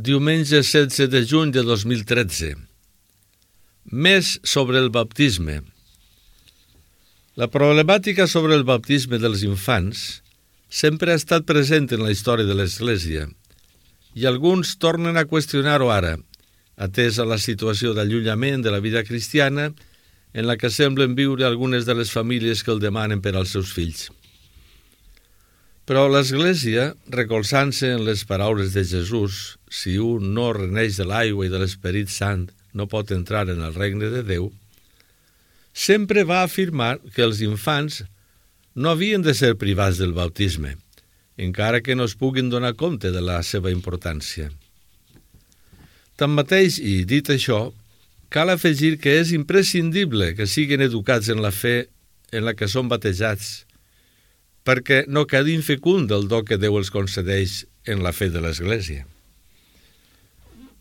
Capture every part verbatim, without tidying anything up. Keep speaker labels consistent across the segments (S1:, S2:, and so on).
S1: Diumenge setze de juny de dos mil tretze. Més sobre el baptisme. La problemàtica sobre el baptisme dels infants sempre ha estat present en la història de l'Església i alguns tornen a qüestionar-ho ara, atesa la situació d'allunyament de la vida cristiana en la que semblen viure algunes de les famílies que el demanen per als seus fills. Però l'Església, recolzant-se en les paraules de Jesús, si un no reneix de l'aigua i de l'Esperit Sant no pot entrar en el regne de Déu, sempre va afirmar que els infants no havien de ser privats del baptisme, encara que no es puguin donar compte de la seva importància. Tanmateix, i dit això, cal afegir que és imprescindible que siguin educats en la fe en la que són batejats, perquè no quedi infecund el do que Déu els concedeix en la fe de l'Església.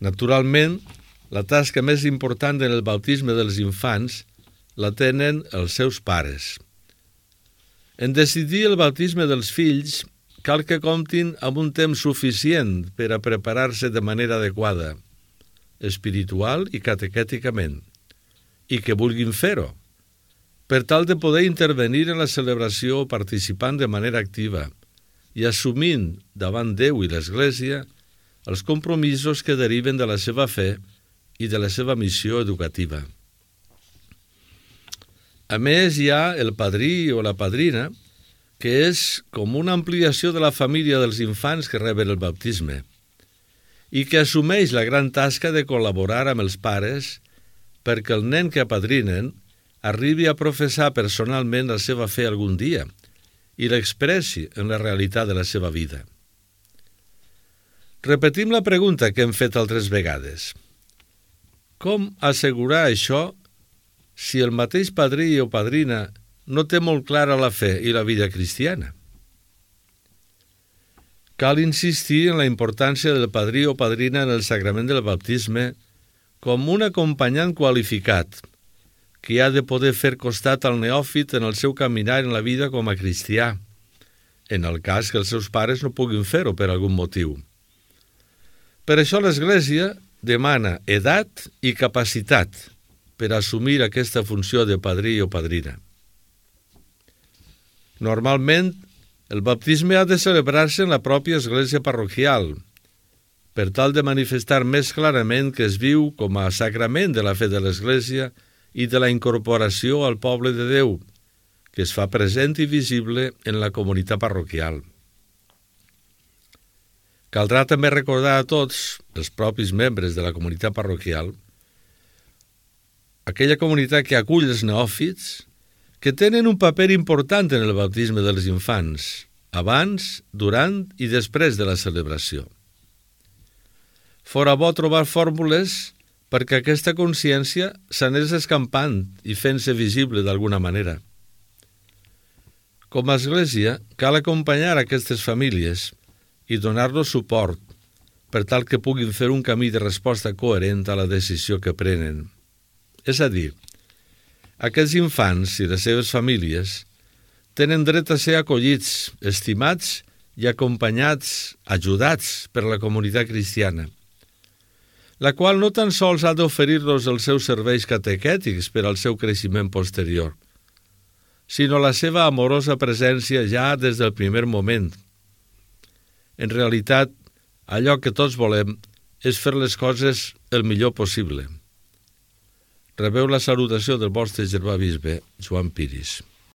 S1: Naturalment, la tasca més important en el baptisme dels infants la tenen els seus pares. En decidir el baptisme dels fills, cal que comptin amb un temps suficient per a preparar-se de manera adequada, espiritual i catequèticament, i que vulguin fer-ho, per tal de poder intervenir en la celebració participant de manera activa i assumint davant Déu i l'Església els compromisos que deriven de la seva fe i de la seva missió educativa. A més, hi ha el padrí o la padrina, que és com una ampliació de la família dels infants que reben el baptisme i que assumeix la gran tasca de col·laborar amb els pares perquè el nen que apadrinen arribi a professar personalment la seva fe algun dia i l'expressi en la realitat de la seva vida. Repetim la pregunta que hem fet altres vegades. Com assegurar això si el mateix padrí o padrina no té molt clara la fe i la vida cristiana? Cal insistir en la importància del padrí o padrina en el sagrament del baptisme com un acompanyant qualificat que ha de poder fer costat al neòfit en el seu caminar en la vida com a cristià, en el cas que els seus pares no puguin fer-ho per algun motiu. Per això l'Església demana edat i capacitat per assumir aquesta funció de padrí o padrina. Normalment, el baptisme ha de celebrar-se en la pròpia església parroquial, per tal de manifestar més clarament que es viu com a sacrament de la fe de l'Església i de la incorporació al poble de Déu, que es fa present i visible en la comunitat parroquial. Caldrà també recordar a tots, els propis membres de la comunitat parroquial, aquella comunitat que acull els neòfits, que tenen un paper important en el baptisme dels infants, abans, durant i després de la celebració. Fora bo trobar fórmules perquè aquesta consciència s'anés escampant i fent-se visible d'alguna manera. Com a Església, cal acompanyar aquestes famílies i donar-los suport per tal que puguin fer un camí de resposta coherent a la decisió que prenen. És a dir, aquests infants i les seves famílies tenen dret a ser acollits, estimats i acompanyats, ajudats per la comunitat cristiana, la qual no tan sols ha d'oferir-los els seus serveis catequètics per al seu creixement posterior, sinó la seva amorosa presència ja des del primer moment. En realitat, allò que tots volem és fer les coses el millor possible. Rebeu la salutació del vostre germà bisbe, Joan Piris.